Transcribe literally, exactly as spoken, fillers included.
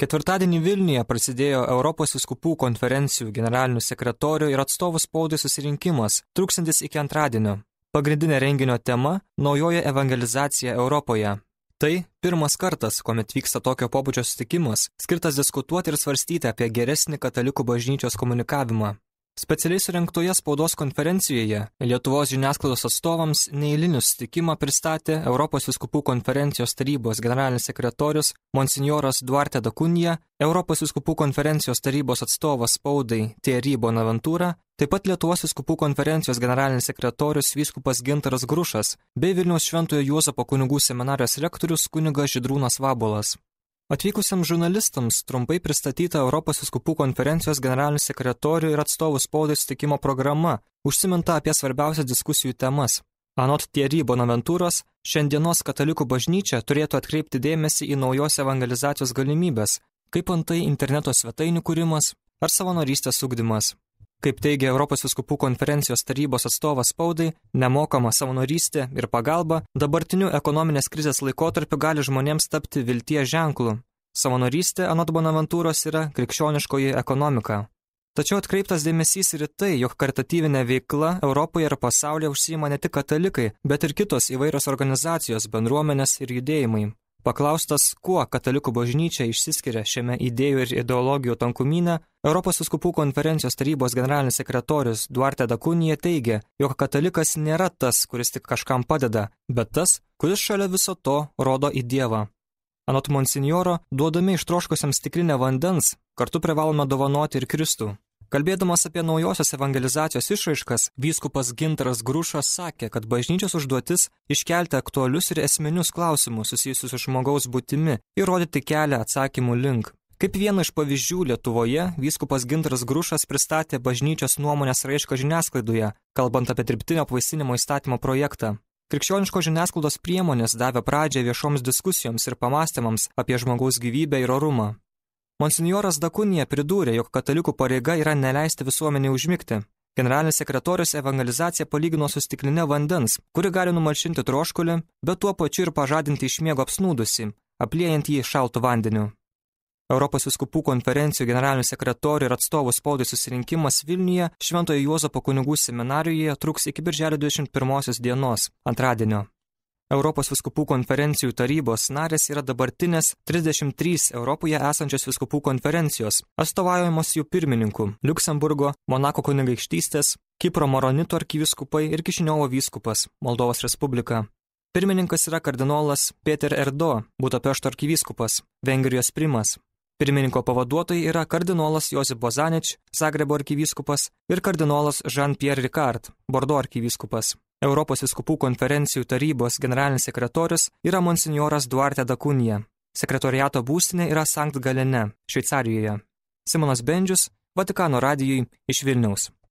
Ketvirtadienį Vilniuje prasidėjo Europos vyskupų konferencijų generalinių sekretorių ir atstovų spaudai susirinkimas, truksantis iki antradienio. Pagrindinė renginio tema – naujoji evangelizacija Europoje. Tai pirmas kartas, kuomet vyksta tokio pobūdžio susitikimas, skirtas diskutuoti ir svarstyti apie geresnį katalikų bažnyčios komunikavimą. Specialiai surengtoje spaudos konferencijoje Lietuvos žiniasklaidos atstovams neeilinį susitikimą pristatė Europos vyskupų konferencijos tarybos generalinis sekretorius monsinjoras Duarte da Cunha, Europos vyskupų konferencijos tarybos atstovas spaudai Thierry Bonaventura, taip pat Lietuvos vyskupų konferencijos generalinis sekretorius vyskupas Gintaras Grušas bei Vilniaus Šventojo Juozapo kunigų seminarijos rektorius kunigas Žydrūnas Vabuolas. Atvykusiems žurnalistams trumpai pristatyta Europos vyskupų konferencijos generalinių sekretorių ir atstovų spaudai susitikimo programa, užsiminta apie svarbiausias diskusijų temas. Anot Thierry Bonaventuros, šiandienos katalikų bažnyčia turėtų atkreipti dėmesį į naujos evangelizacijos galimybės, kaip antai interneto svetainių kūrimas ar savanorystės ugdymas. Kaip teigia Europos vyskupų konferencijos tarybos atstovas spaudai, nemokama savanorystė ir pagalba dabartiniu ekonominės krizės laikotarpiu gali žmonėms tapti vilties ženklu. Savanorystė, anot Bonaventūros, yra krikščioniškoji ekonomika. Tačiau atkreiptas dėmesys ir į tai, jog karitatyvinė veikla Europoje ir pasaulyje užsiima ne tik katalikai, bet ir kitos įvairios organizacijos, bendruomenės ir judėjimai. Paklaustas, kuo katalikų bažnyčia išsiskiria šiame idėjų ir ideologijų tankumyne, Europos vyskupų konferencijos tarybos generalinis sekretorius Duarte da Cunha teigia, jog katalikas nėra tas, kuris tik kažkam padeda, bet tas, kuris šalia viso to rodo į Dievą. Anot monsinjoro, duodami ištroškusiems stiklinę vandens, kartu privalome dovanoti ir Kristų. Kalbėdamas apie naujosios evangelizacijos išraiškas, vyskupas Gintaras Grušas sakė, kad bažnyčios užduotis iškelti aktualius ir esminius klausimus susijusius su žmogaus būtimi ir rodyti kelią atsakymų link. Kaip vieną iš pavyzdžių Lietuvoje, vyskupas Gintaras Grušas pristatė bažnyčios nuomonės raišką žiniasklaidoje, kalbant apie dirbtinio apvaisinimo įstatymo projektą. Krikščioniškos žiniasklaidos priemonės davė pradžią viešoms diskusijoms ir pamastymams apie žmogaus gyvybę ir orumą. Monsinjoras da Cunha pridūrė, jog katalikų pareiga yra neleisti visuomenei užmigti. Generalinis sekretorius evangelizaciją palygino su stikline vandens, kuri gali numalšinti troškulį, bet tuo pačiu ir pažadinti iš miego apsnūdusį, apliejant jį šaltu vandeniu. Europos vyskupų konferencijų generalinių sekretorių ir atstovų spaudai susirinkimas Vilniuje Šventojo Juozapo kunigų seminarijoje truks iki birželio dvidešimt pirmosios dienos, antradienio. Europos vyskupų konferencijų tarybos narės yra dabartinės trisdešimt trys Europoje esančios vyskupų konferencijos, atstovaujamos jų pirmininkų – Liuksemburgo, Monako kunigaikštystės, Kipro Maronitų arkivyskupai ir Kišiniovo vyskupas, Moldovos Respublika. Pirmininkas yra kardinolas Peter Erdo, Budapešto arkivyskupas, Vengrijos primas. Pirmininko pavaduotojai yra kardinolas Josip Bozanič, Zagrebo arkivyskupas ir kardinolas Jean-Pierre Ricard, Bordo arkivyskupas. Europos vyskupų konferencijų tarybos generalinis sekretorius yra monsinjoras Duarte da Cunha. Sekretoriato būstinė yra Sankt Galene, Šveicarijoje. Simonas Bendžius, Vatikano radijui iš Vilniaus.